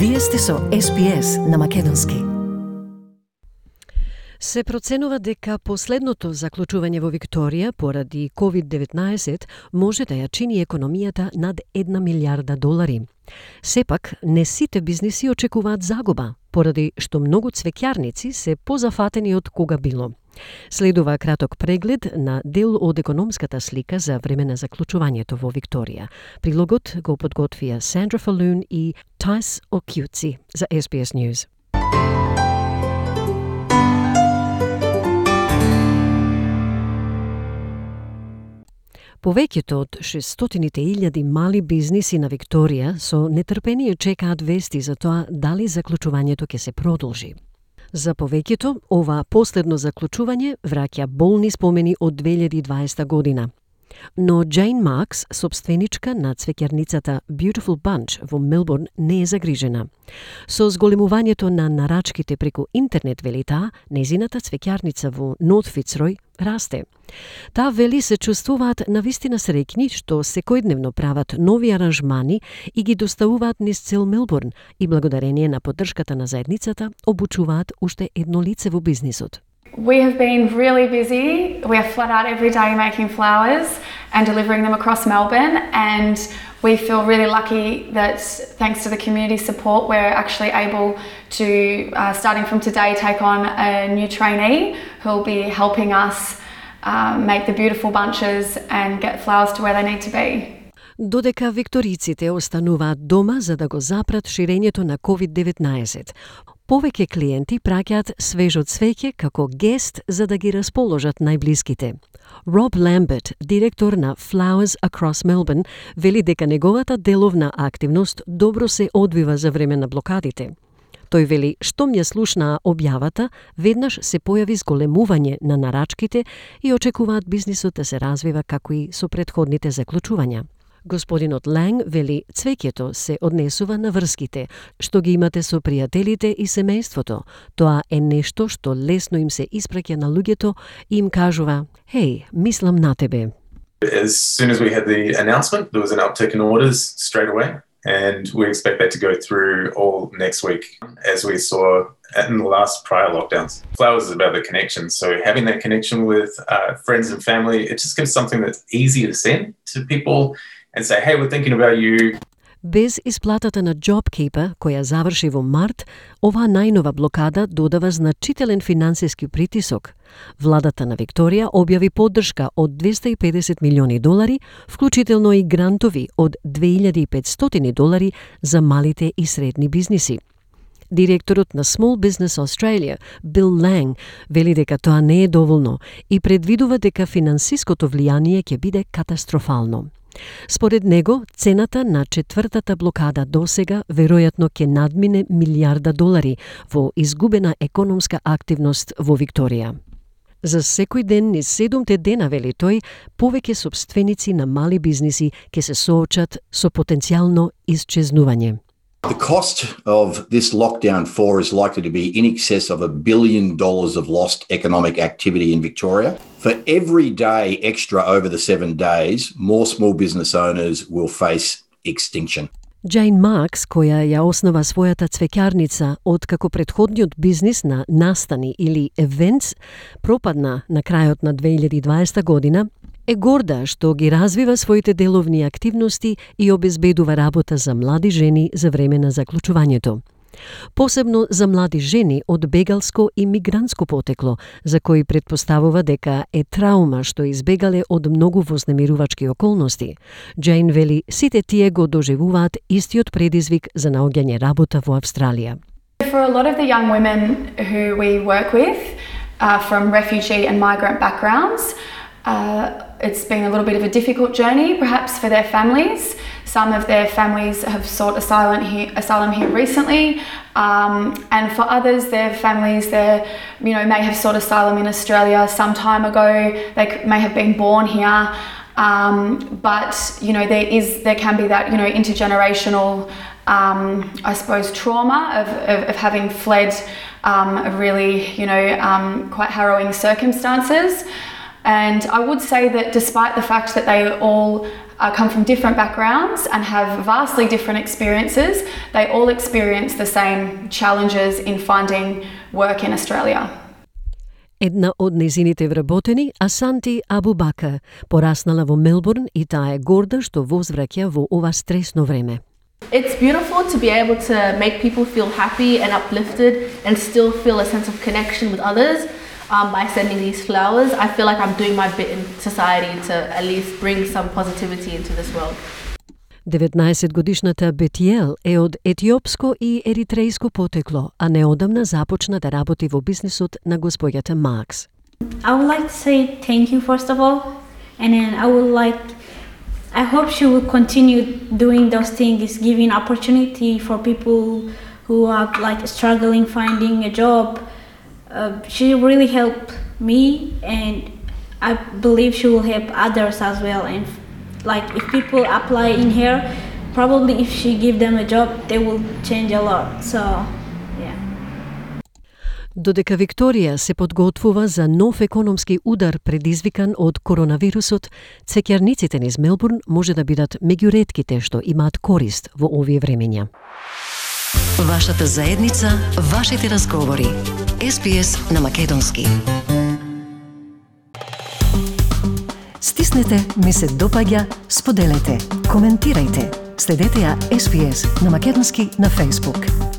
Вие сте со SPS на македонски. Се проценува дека последното заклучување во Викторија поради COVID-19 може да ја чини економијата над $1 милиарда. Сепак, не сите бизниси очекуваат загуба, поради што многу цвеќарници се позафатени од кога било. Следува краток преглед на дел од економската слика за време на заклучувањето во Викторија. Прилогот го подготвија Сандра Фалун и Тайс Окјуци за SBS News. Повеќето од 600.000 мали бизниси на Викторија со нетрпение чекаат вести за тоа дали заклучувањето ќе се продолжи. За повеќето, ова последно заклучување враќа болни спомени од 2020 година. Но Джейн Маркс, собственичка на цвеќарницата Beautiful Bunch во Мелбурн, не е загрижена. Со зголемувањето на нарачките преку интернет, вели таа, незината цвеќарница во Норт Фицрој расте. Таа вели се чувствуваат навистина среќни што секојдневно прават нови аранжмани и ги доставуваат низ цел Мелбурн и благодарение на поддршката на заедницата обучуваат уште едно лице во бизнисот. We have been really busy. We are flat out every day making flowers and delivering them across Melbourne, and we feel really lucky that thanks to the community support we're actually able to, starting from today, take on a new trainee who will be helping us make the beautiful bunches and get flowers to where they need to be. Додека викториците остануваат дома за да го запрат ширењето на COVID-19, повеќе клиенти праќаат свежо цвеќе како гест за да ги расположат најблиските. Роб Ламберт, директор на Flowers Across Melbourne, вели дека неговата деловна активност добро се одвива за време на блокадите. Тој вели, штом ја слушнаа објавата, веднаш се појави зголемување на нарачките и очекуваат бизнисот да се развива како и со претходните заклучувања. Господинот Ланг вели, цвеќето се однесува на врските, што ги имате со пријателите и семејството. Тоа е нешто што лесно им се испраќа на луѓето и им кажува, "Хеј, мислам на тебе." As soon as we had the announcement, there was an uptick in orders straight away, and we expect that to go through all next week, as we saw in the last prior lockdowns. Flowers is about the connection, so having that connection with friends and family, it just gives something that's easy to send to people and say, "Hey, we're thinking about you." Без исплатата на JobKeeper, која заврши во март, оваа најнова блокада додава значителен финансиски притисок. Владата на Викторија објави поддршка од $250 милиони, вклучително и грантови од $2.500 за малите и средни бизниси. Директорот на Small Business Australia, Бил Ланг, вели дека тоа не е доволно и предвидува дека финансиското влијание ќе биде катастрофално. Според него, цената на четвртата блокада досега веројатно ќе надмине $1 милиарда во изгубена економска активност во Викторија. За секој ден низ 7 дена, вели тој, повеќе собственици на мали бизниси ќе се соочат со потенцијално исчезнување. The cost of this lockdown 4 is likely to be in excess of $1 billion of lost economic activity in Victoria. For every day extra over the 7 days, more small business owners will face extinction. Джейн Маркс, која ја основа својата цвеќарница откако претходниот бизнис на настани или events пропадна на крајот на 2020 година, е горда што ги развива своите деловни активности и обезбедува работа за млади жени за време на заклучувањето. Посебно за млади жени од бегалско и мигрантско потекло, за кои предпоставува дека е траума што избегале од многу вознемирувачки околности. Джейн вели, сите тие го доживуваат истиот предизвик за наоѓање работа во Австралија. For a lot of the young women who we work with from refugee and migrant backgrounds, it's been a little bit of a difficult journey, perhaps for their families. Some of their families have sought asylum here recently, and for others, their families may have sought asylum in Australia some time ago. They may have been born here, but there can be that intergenerational, I suppose, trauma of having fled really quite harrowing circumstances. And I would say that despite the fact that they all come from different backgrounds and have vastly different experiences, they all experience the same challenges in finding work in Australia. Една од незините вработени, Асанти Абубака, пораснала во Мелбурн и таа е горда што возвраќа во ова стресно време. It's beautiful to be able to make people feel happy and uplifted and still feel a sense of connection with others by sending these flowers. I feel like I'm doing my bit in society to at least bring some positivity into this world. 19-годишната Бетиел е од етиопско и еритрејско потекло, а неодамна започна да работи во бизнисот на господјата Макс. I would like to say thank you first of all, and then I hope she will continue doing those things, giving opportunity for people who are like struggling finding a job. She really helped me, and I believe she will help others as well. And like if people apply in here, probably if she give them a job, they will change a lot. So, yeah. Додека Викторија се подготвува за нов економски удар предизвикан од коронавирусот, цекјарниците низ Мелбурн може да бидат меѓу ретките што имаат корист во овие времења. Вашата заедница, вашите разговори. SPS на македонски. Стиснете, ми се допаѓа, споделете, коментирајте. Следете ја SPS на македонски на Facebook.